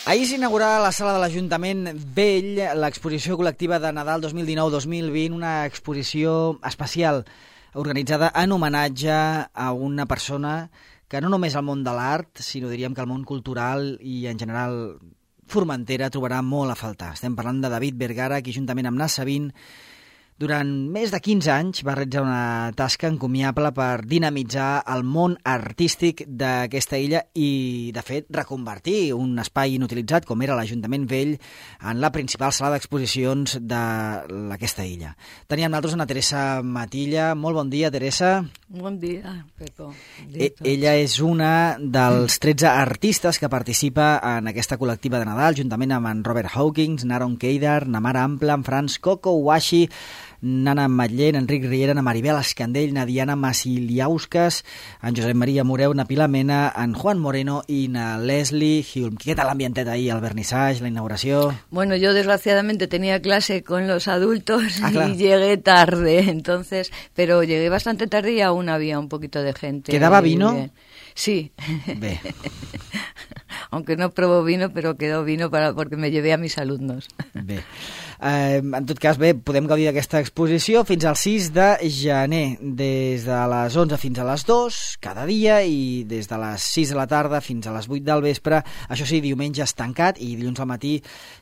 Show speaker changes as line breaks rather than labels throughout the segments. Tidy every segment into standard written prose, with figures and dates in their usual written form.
Ahir s'inaugurava a la sala de l'Ajuntament Vell l'exposició col·lectiva de Nadal 2019-2020, una exposició especial organitzada en homenatge a una persona que no només al món de l'art, sinó diríem que al món cultural i en general Formentera trobarà molt a faltar. Estem parlant de David Vergara, qui juntament amb Nas Sabin durant més de 15 anys va realitzar una tasca encomiable per dinamitzar el món artístic d'aquesta illa i, de fet, reconvertir un espai inutilitzat, com era l'Ajuntament Vell, en la principal sala d'exposicions d'aquesta illa. Teníem nosaltres una Teresa Matilla. Molt bon dia, Teresa.
Bon dia, Pepo.
Ella és una dels 13 artistes que participa en aquesta col·lectiva de Nadal, juntament amb en Robert Hawkins, Naron Keidar, Namar Ampla, en Franz Coco Washi, Nana Matller, Enric Riera, na Maribel Escandell, na Diana Masiliauskas, en Josep Maria Moreu, na Pilar Mena, en Juan Moreno y na Leslie Hulm. ¿Qué tal l'ambientet ahí, el vernissage, la inauguración?
Bueno, yo desgraciadamente tenía clase con los adultos y llegué tarde, entonces, pero llegué bastante tarde y aún había un poquito de gente.
¿Quedaba vino?
Bien. Sí.
Bé.
Aunque no probó vino, pero quedó vino porque me llevé a mis alumnos.
Bé. En tot cas, bé, podem gaudir d'aquesta exposició fins al 6 de gener, des de les 11 fins a les 2 cada dia i des de les 6 de la tarda fins a les 8 del vespre. Això sí, diumenge és tancat i dilluns al matí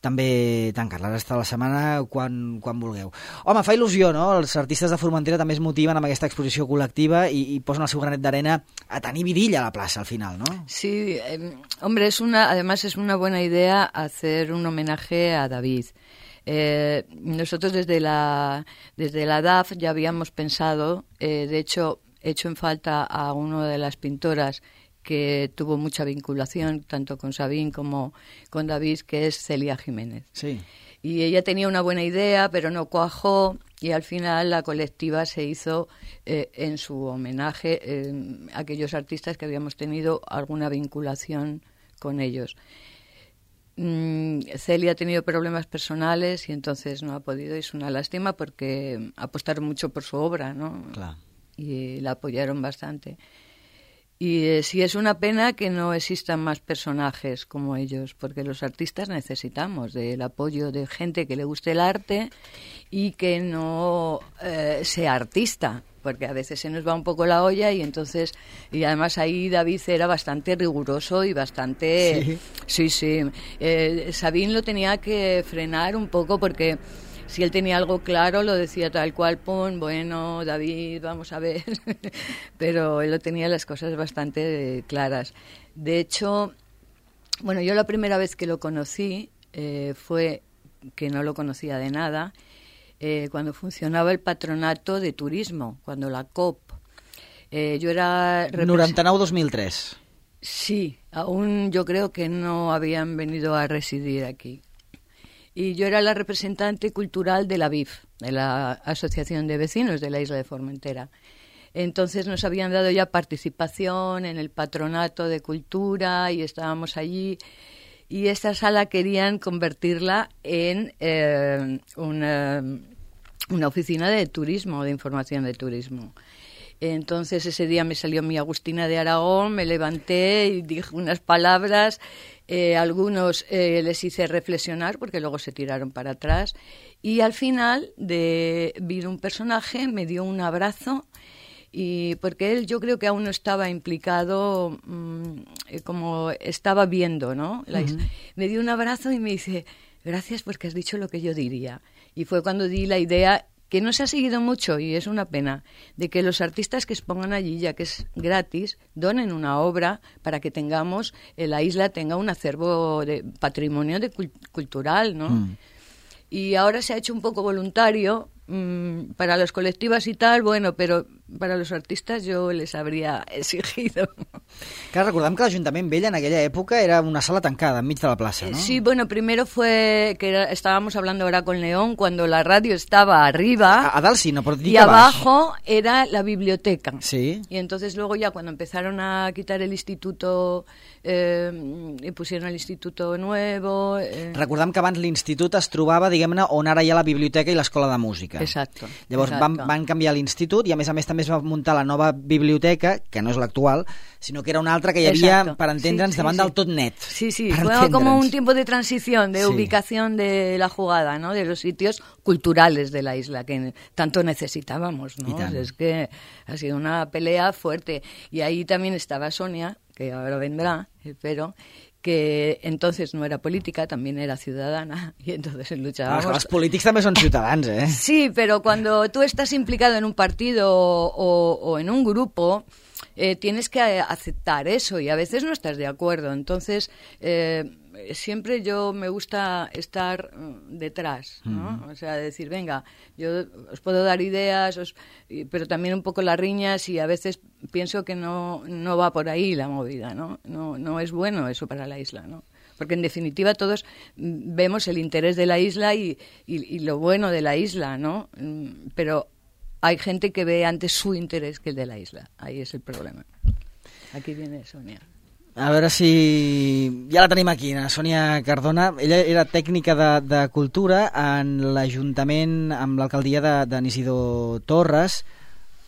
també tancat. La resta de la setmana quan vulgueu. Home, fa il·lusió, no? Els artistes de Formentera també es motiven amb aquesta exposició col·lectiva i posen el seu granet d'arena a tenir vidilla a la plaça al final, ¿no?
Sí, hombre, además es una buena idea hacer un homenaje a David. Nosotros desde la DAF ya habíamos pensado, de hecho, hecho en falta a una de las pintoras que tuvo mucha vinculación tanto con Sabin como con David, que es Celia Jiménez.
Sí.
Y ella tenía una buena idea, pero no cuajó, y al final la colectiva se hizo en su homenaje a aquellos artistas que habíamos tenido alguna vinculación con ellos. Celia ha tenido problemas personales y entonces no ha podido, es una lástima porque apostaron mucho por su obra, ¿no?
Claro.
Y la apoyaron bastante. Y sí es una pena que no existan más personajes como ellos, porque los artistas necesitamos del apoyo de gente que le guste el arte y que no sea artista, porque a veces se nos va un poco la olla y entonces, y además ahí David era bastante riguroso y bastante... Sí. Sabin lo tenía que frenar un poco porque si él tenía algo claro lo decía tal cual, bueno, David, vamos a ver, pero él lo tenía las cosas bastante claras. De hecho, bueno, yo la primera vez que lo conocí fue que no lo conocía de nada, cuando funcionaba el patronato de turismo, cuando la COP. Yo era...
99-2003.
Sí, aún yo creo que no habían venido a residir aquí. Y yo era la representante cultural de la BIF, de la Asociación de Vecinos de la Isla de Formentera. Entonces nos habían dado ya participación en el patronato de cultura y estábamos allí. Y esta sala querían convertirla en una oficina de turismo, de información de turismo. Entonces ese día me salió mi Agustina de Aragón, me levanté y dije unas palabras, algunos les hice reflexionar porque luego se tiraron para atrás y al final vino un personaje, me dio un abrazo y porque él yo creo que aún no estaba implicado como estaba viendo, ¿no? Me dio un abrazo y me dice, gracias porque has dicho lo que yo diría. Y fue cuando di la idea, que no se ha seguido mucho, y es una pena, de que los artistas que expongan allí, ya que es gratis, donen una obra para que tengamos, la isla tenga un acervo de patrimonio cultural, ¿no? Y ahora se ha hecho un poco voluntario para las colectivas y tal, bueno, pero para los artistas yo les habría exigido.
Clar, recordem que l'Ajuntament Vell en aquella època era una sala tancada enmig de la plaça, ¿no?
Sí, bueno, primero fue que estábamos hablando ahora con León cuando la radio estaba arriba
a dalt sí, no, però
y abajo era la biblioteca.
Sí.
Y entonces luego ya cuando empezaron a quitar el instituto y pusieron el instituto nuevo...
Recordem que abans l'institut es trobava, diguem-ne, on ara hi ha la biblioteca i l'escola de música.
Exacto.
Llavors van canviar l'institut i a més també també es va muntar la nova biblioteca, que no és l'actual, sinó que era una altra que hi havia, per entendre'ns, davant del tot net.
Sí, fue como un tiempo de transición, de ubicación de la jugada, ¿no? De los sitios culturales de la isla que tanto necesitábamos, ¿no? Es que ha sido una pelea fuerte. Y ahí también estaba Sonia, que ahora vendrá, espero, que entonces no era política, también era ciudadana, y entonces luchábamos.
Els polítics també són ciutadans, eh?
Sí, pero cuando tú estás implicado en un partido o en un grupo, tienes que aceptar eso y a veces no estás de acuerdo. Entonces, siempre yo me gusta estar detrás, ¿no? O sea, decir, venga, yo os puedo dar ideas, pero también un poco las riñas, y a veces pienso que no va por ahí la movida, ¿no? No es bueno eso para la isla, ¿no? Porque en definitiva todos vemos el interés de la isla y lo bueno de la isla, ¿no? Pero hay gente que ve antes su interés que el de la isla. Ahí es el problema. Aquí viene Sonia.
A veure si... Ja la tenim aquí, la Sònia Cardona. Ella era tècnica de cultura en l'Ajuntament amb l'alcaldia d'en Isidor Torres.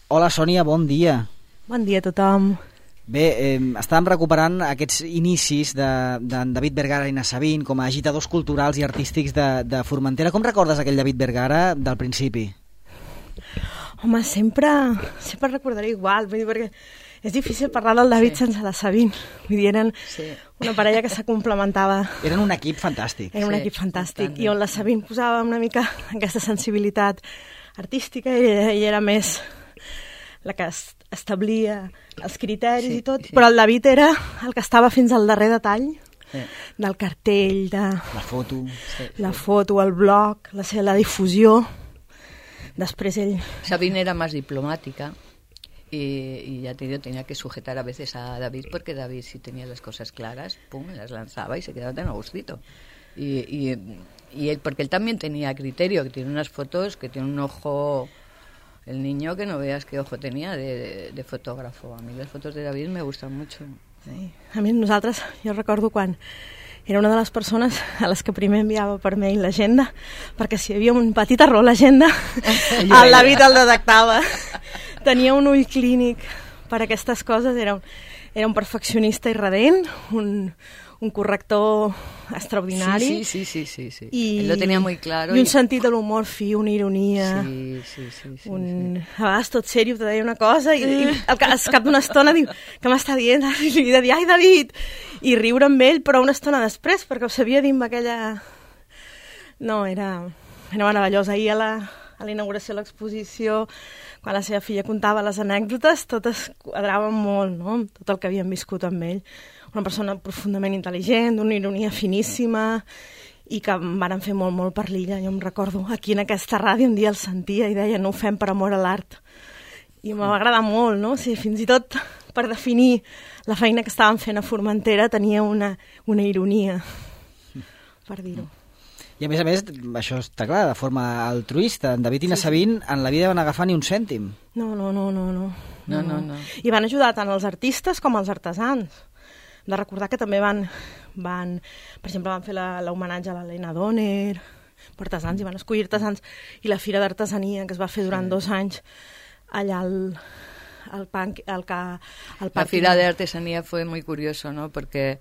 Hola, Sònia, bon dia.
Bon dia a tothom.
Bé, estàvem recuperant aquests inicis d'en David Vergara i Nassabin com a agitadors culturals i artístics de Formentera. Com recordes aquell David Vergara del principi?
Home, sempre recordaré igual, vull dir, perquè és difícil parlar del David sense la Sabine. Vull dir, eren una parella que se complementava.
Eren un equip fantàstic.
Era un equip fantàstic. I on la Sabine posava una mica aquesta sensibilitat artística i ella era més la que establia els criteris i tot, però el David era el que estava fins al darrer detall del cartell, de la foto, el blog, la difusió. Després ell...
Sabine era más diplomática y ya te digo, tenía que sujetar a veces a David, porque David, si tenía las cosas claras, pum, las lanzaba y se quedaba tan a gustito. Y él, porque él también tenía criterio, que tiene unas fotos, que tiene un ojo, el niño, que no veas qué ojo tenía de fotógrafo. A mí las fotos de David me gustan mucho.
Sí. A mi nosaltres, jo recordo quan era una de les persones a les que primer enviava per mail l'agenda, perquè si hi havia un petit error a l'agenda, el David el detectava. Tenia un ull clínic per aquestes coses, era un perfeccionista irredent, un corrector extraordinari.
Sí. Él lo tenía muy claro.
I un sentit de l'humor fi, una ironia.
Sí.
A vegades tot sèrio te deia una cosa i al cap d'una estona diu, què m'està dient? I li de dir, ai David! I riure amb ell, però una estona després, perquè ho sabia dir amb aquella... No, era meravellós. Ahir a la inauguració de l'exposició, quan la seva filla contava les anècdotes, totes quadraven molt, no?, tot el que havien viscut amb ell. Una persona profundament intel·ligent, d'una ironia finíssima, i que em van fer molt, molt per l'illa. Jo em recordo, aquí en aquesta ràdio un dia el sentia i deia, no ho fem per amor a l'art. I em va agradar molt, no? O sigui, fins i tot per definir la feina que estaven fent a Formentera tenia una ironia, per dir-ho.
I a més, això està clar, de forma altruista. En David i Nassabin en la vida van agafar ni un cèntim.
No.
No.
I van ajudar tant els artistes com els artesans. De recordar que també van per exemple, van fer l'homenatge a l'Helena Donner, per artesans, i van escollir artesans, i la Fira d'Artesania, que es va fer durant 2 anys allà al parc.
La Fira de Artesanía fue muy curioso, ¿no? Porque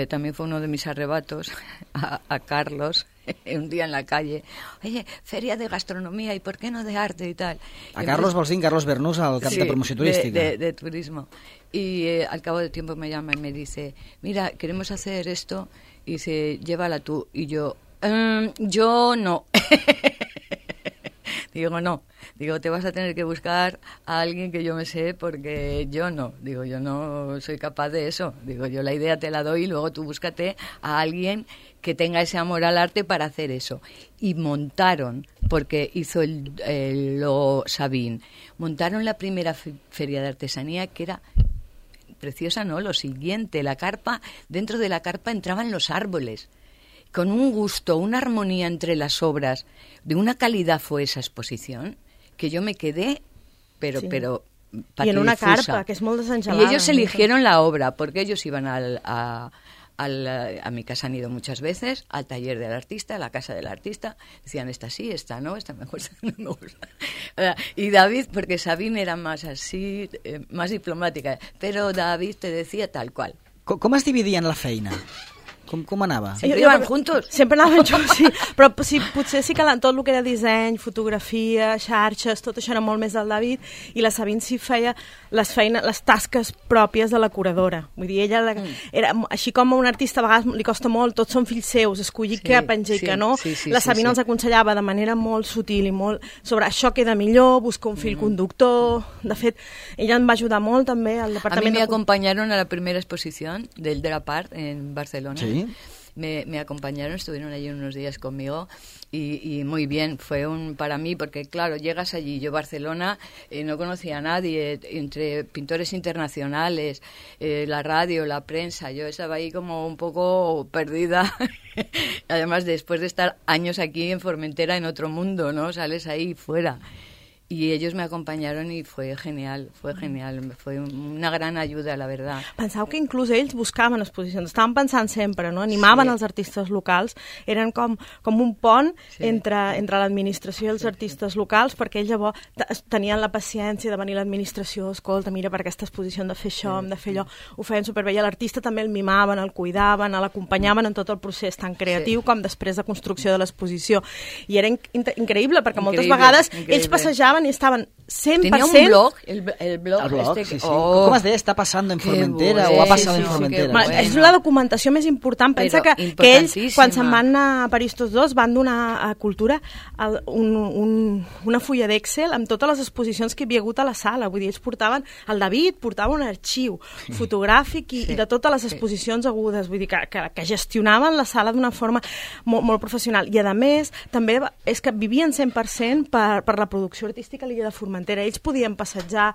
también fue uno de mis arrebatos a Carlos, un día en la calle, oye, feria de gastronomía, ¿y por qué no de arte y tal?
A Carlos Bolsín, Carlos Bernús, al cap de promoció turística.
De turismo. Y al cabo del tiempo me llama y me dice, mira, queremos hacer esto, y dice, llévala tú. Y yo no. Digo, te vas a tener que buscar a alguien que yo me sé, porque yo no soy capaz de eso. Digo, yo la idea te la doy y luego tú búscate a alguien que tenga ese amor al arte para hacer eso. Y montaron, porque hizo lo Sabin, montaron la primera feria de artesanía, que era preciosa, ¿no? Lo siguiente, la carpa, dentro de la carpa entraban los árboles, con un gusto, una armonía entre las obras, de una calidad fue esa exposición, que yo me quedé, pero
y en una carpa, que es muy desenxalada.
Y ellos eligieron la obra, porque ellos iban a a mi casa han ido muchas veces, al taller del artista, a la casa del artista, decían, esta sí, esta no, esta me gusta, no me gusta. Y David, porque Sabine era más así, más diplomática, però David te decía tal qual.
Com es dividien la feina? Com anava?
Sempre iban juntos.
Sempre anaven junts, sí. Però sí, potser sí que tot el que era disseny, fotografia, xarxes, tot això era molt més del David, i la Sabine sí feia les tasques pròpies de la curadora. Vull dir, ella era, així com a un artista a vegades li costa molt, tots són fills seus, escollir què penja i què no, la Sabine els aconsellava de manera molt sutil i molt sobre això queda millor, busca un fil conductor. De fet, ella em va ajudar molt també al departament.
A mí me acompañaron a la primera exposición del Drapart en Barcelona. Sí. Me acompañaron, estuvieron allí unos días conmigo y muy bien, fue para mí, porque claro, llegas allí, yo Barcelona no conocía a nadie, entre pintores internacionales, la radio, la prensa, yo estaba ahí como un poco perdida, además después de estar años aquí en Formentera en otro mundo, ¿no? Sales ahí fuera. Y ellos me acompañaron y fue genial, fue una gran ayuda, la verdad.
Penseu que inclús ells buscaven exposicions, estaven pensant sempre, no? Animaven els artistes locals, eren com un pont entre l'administració i els artistes locals, perquè ells llavors tenien la paciència de venir a l'administració, escolta, mira, per aquesta exposició hem de fer això, hem de fer allò, ho feien superbé, i l'artista també el mimaven, el cuidaven, l'acompanyaven en tot el procés tan creatiu com després de construcció de l'exposició. I era increïble, perquè moltes vegades ells passejaven i estaven 100%...
Tenía un blog, el blog este...
Sí, sí. Oh, com es deia? Està passant en Formentera o ha passat en Formentera?
Bueno. És la documentació més important. Pensa que ells, quan se'n van a París tots dos, van donar a Cultura una fulla d'Excel amb totes les exposicions que hi havia hagut a la sala. Vull dir, ells portaven... El David portava un arxiu fotogràfic i de totes les exposicions agudes. Vull dir, que gestionaven la sala d'una forma molt professional. I, a més, també és que vivien 100% per la producció artística a l'illa de Formentera. Ells podien passejar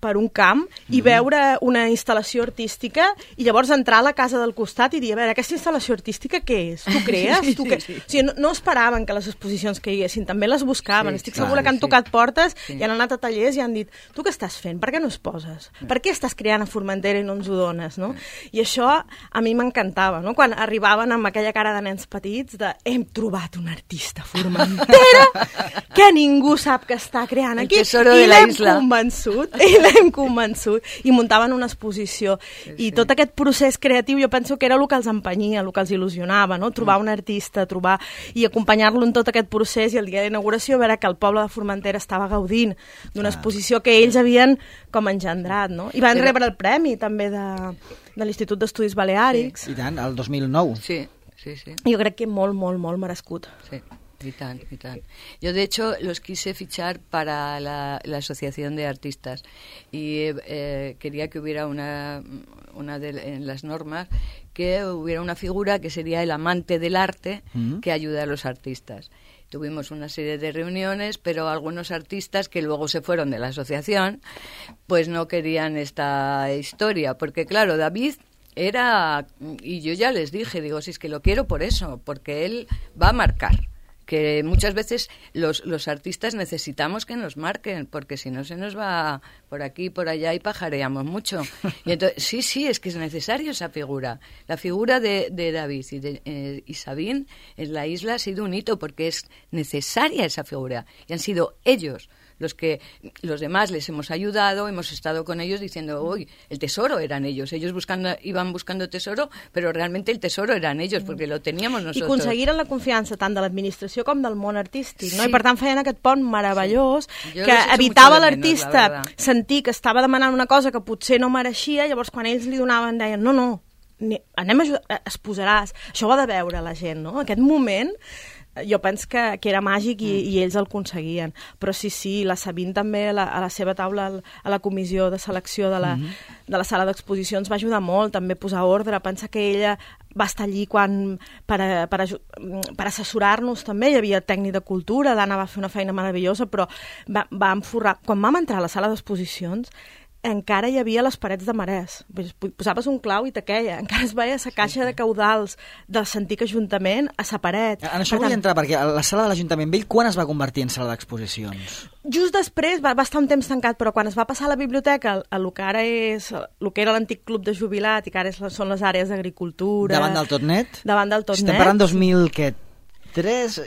per un camp i veure una instal·lació artística i llavors entrar a la casa del costat i dir, a veure, aquesta instal·lació artística què és? Tu crees? O sigui, no esperaven que les exposicions caiguessin, també les buscaven. Estic segura que han tocat portes i han anat a tallers i han dit, tu què estàs fent? Per què no es poses? Per què estàs creant a Formentera i no ens ho dones? No? I això a mi m'encantava, no? Quan arribaven amb aquella cara de nens petits de hem trobat un artista a Formentera que ningú sap que està creant aquí i l'hem convençut i muntaven una exposició i tot aquest procés creatiu jo penso que era el que els empenyia, el que els il·lusionava, no? Trobar un artista, i acompanyar-lo en tot aquest procés i el dia d'inauguració veure que el poble de Formentera estava gaudint d'una exposició que ells havien com engendrat, no? I van rebre el premi també de l'Institut d'Estudis Baleàrics.
I tant, el 2009.
Sí.
Jo crec que molt merescut.
Sí. Y tal. Yo, de hecho, los quise fichar para la Asociación de Artistas y quería que hubiera en las normas, que hubiera una figura que sería el amante del arte que ayuda a los artistas. Tuvimos una serie de reuniones, pero algunos artistas que luego se fueron de la asociación, pues no querían esta historia, porque claro, David... y yo ya les dije, digo, si es que lo quiero por eso, porque él va a marcar. Que muchas veces los artistas necesitamos que nos marquen, porque si no se nos va por aquí, por allá y pajareamos mucho. Y entonces, sí, es que es necesario esa figura. La figura de David y Sabine en la isla ha sido un hito, porque es necesaria esa figura. Y han sido ellos los demás les hemos ayudado, hemos estado con ellos diciendo, uy, el tesoro eran ellos iban buscando tesoro, però realment el tesoro eran ells, perquè lo teníamos nosotros.
I aconseguiren la confiança tant de l'administració com del món artístic, no? I per tant feien aquest pont meravellós que evitava l'artista sentir que estava demanant una cosa que potser no mereixia, llavors quan ells li donaven deien, no, anem a ajudar, es posaràs, això ho ha de veure la gent, no? Aquest moment jo penso que era màgic i ells el aconseguien. Però sí, la Sabine també a la seva taula, a la comissió de selecció de la sala d'exposicions va ajudar molt, també a posar ordre. Pensa que ella va estar allí per assessorar-nos també, hi havia tècnic de cultura, l'Anna va fer una feina meravellosa, però va enforrar. Quan vam entrar a la sala d'exposicions, encara hi havia les parets de marès. Posaves un clau i te queia. Encara es veia la caixa de caudals del antic Ajuntament a la paret.
En això vull entrar, perquè la sala de l'Ajuntament Vell quan es va convertir en sala d'exposicions?
Just després va estar un temps tancat, però quan es va passar a la biblioteca, a lo que ara és, el que era l'antic club de jubilat i que ara són les àrees d'agricultura...
Davant del Totnet?
Davant del Totnet.
Estem parlant 2003...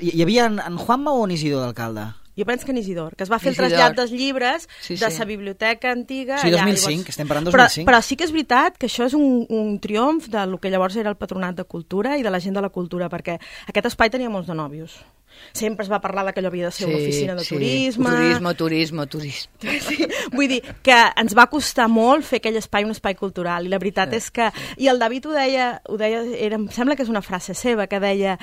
Hi havia en Juanma o en Isidor d'alcalde?
Jo penso que en Isidor, que es va fer el trasllat dels llibres de la biblioteca antiga...
Sí, 2005, estem parlant 2005.
Però sí que és veritat que això és un triomf del que llavors era el Patronat de Cultura i de la gent de la cultura, perquè aquest espai tenia molts de nòvios. Sempre es va parlar que allò havia de ser una oficina de turisme. Turisme. Sí, vull dir que ens va costar molt fer aquell espai un espai cultural, i la veritat és que... I el David ho deia em sembla que és una frase seva, que deia...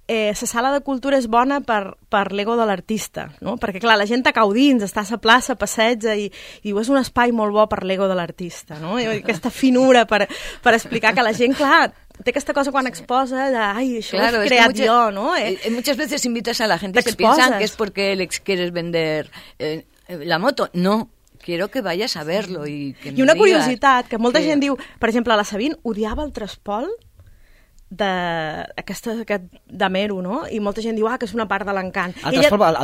la sala de cultura és bona per l'ego de l'artista, no? Perquè clar, la gent a cau dins, està a la plaça, passeja i diu, és un espai molt bo per l'ego de l'artista, no? I aquesta finura per explicar que la gent, clar, té aquesta cosa quan exposa de, ai, això claro, ho he creat jo, no?
Muchas veces invitas a la gente que piensan que es porque les quieres vender la moto. No. Quiero que vayas a verlo y que me
I una
digas
curiositat, que molta gent diu, per exemple, la Sabine odiava el traspol aquest d'Amero, no? I molta gent diu, que és una part de l'encant.
Al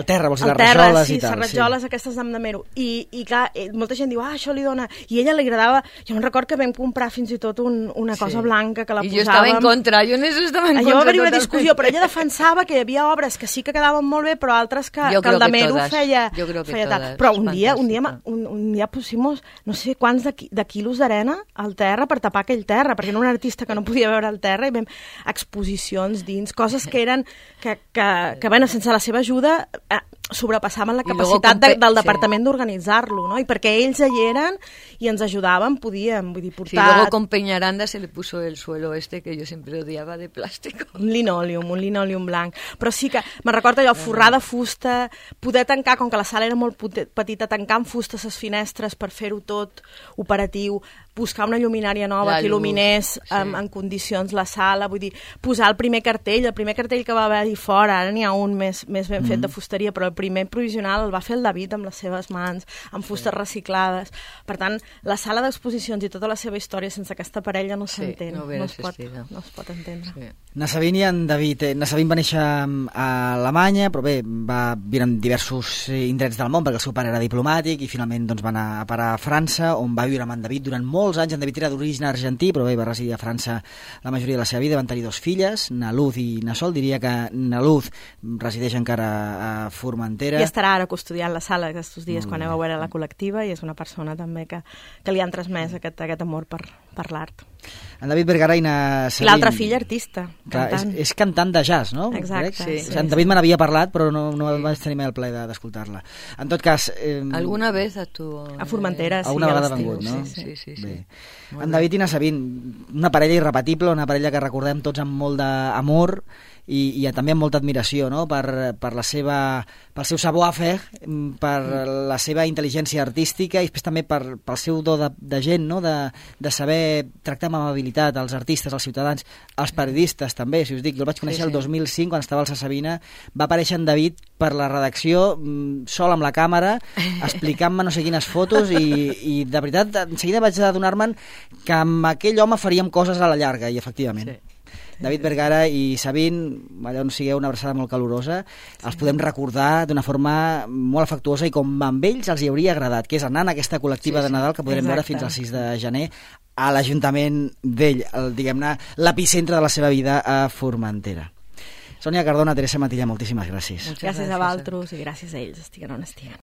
terra, vols dir, les rajoles i tal.
Sí, les rajoles aquestes d'Amero. I clar, molta gent diu, això li dona... I a ella li agradava... Jo em record que vam comprar fins i tot una cosa blanca que la posàvem...
I jo estava en contra, jo en això estava en contra.
Allò va haver una discussió, però ella defensava que hi havia obres que sí que quedaven molt bé, però altres que el d'Amero feia tal. Però un dia pusimos no sé quants de quilos d'arena al terra per tapar aquell terra, perquè era un artista que no podia veure el terra i vam exposicions dins, coses que eren que bueno, sense la seva ajuda sobrepassaven la capacitat del departament d'organitzar-lo, ¿no? I perquè ells hi eren i ens ajudaven, podíem, vull dir, portar...
Sí, luego con Peñaranda se le puso el suelo que yo siempre odiaba de plástico.
Un linòleum blanc. Però sí que, me'n recordo allò, forrar de fusta, poder tancar, com que la sala era molt petita, tancar amb fusta les finestres per fer-ho tot operatiu, buscar una lluminària nova que il·luminés en condicions la sala, vull dir, posar el primer cartell que va haver-hi fora, ara n'hi ha un més ben fet de fusteria, però el primer provisional el va fer el David amb les seves mans, amb fustes reciclades. Per tant, la sala d'exposicions i tota la seva història sense aquesta parella no s'entén, no es pot entendre.
Sí. Na Sabine i en David. Na Sabine va néixer a Alemanya, però bé, va viure en diversos indrets del món, perquè el seu pare era diplomàtic i finalment doncs, va anar a parar a França, on va viure amb en David durant molts anys. En David era d'origen argentí, però bé, va residir a França la majoria de la seva vida. Van tenir 2 filles, na Luz i na Sol. Diria que na Luz resideix encara a Formentera.
I estarà ara custodiant la sala aquests dies quan aneu a veure la col·lectiva, i és una persona també que li han transmès aquest amor per l'art.
En David Vergara i na Sabine.
L'altra filla artista, cantant.
És cantant de jazz, no?
Exacte.
Sí. En David me n'havia parlat, però no vaig tenir mai el plaer d'escoltar-la. En tot cas...
Alguna vez actuó...
A Formentera, sí.
Alguna vegada ha vengut, no?
Sí.
Bé. En David i na Sabine, una parella irrepetible, una parella que recordem tots amb molt d'amor i també amb molta admiració, no? pel seu savoir-faire, per la seva intel·ligència artística i després també pel seu do de gent, no? de saber tractar amb amabilitat els artistes, els ciutadans, els periodistes també, si us dic, jo el vaig conèixer el 2005 quan estava al Sa Sabina, va aparèixer en David per la redacció sol amb la càmera, explicant-me no sé quines fotos i de veritat, en seguida vaig adonar-me'n que amb aquell home faríem coses a la llarga i efectivament. Sí. David Vergara i Sabine, allà on sigueu, una abraçada molt calorosa, els podem recordar d'una forma molt afectuosa i com amb ells els hi hauria agradat, que és anar en aquesta col·lectiva de Nadal que podrem veure fins al 6 de gener a l'Ajuntament Vell, diguem-ne, l'epicentre de la seva vida a Formentera. Sònia Cardona, Teresa Matilla, moltíssimes gràcies.
Gràcies a vosaltres i gràcies a ells, estiguen on estiguen.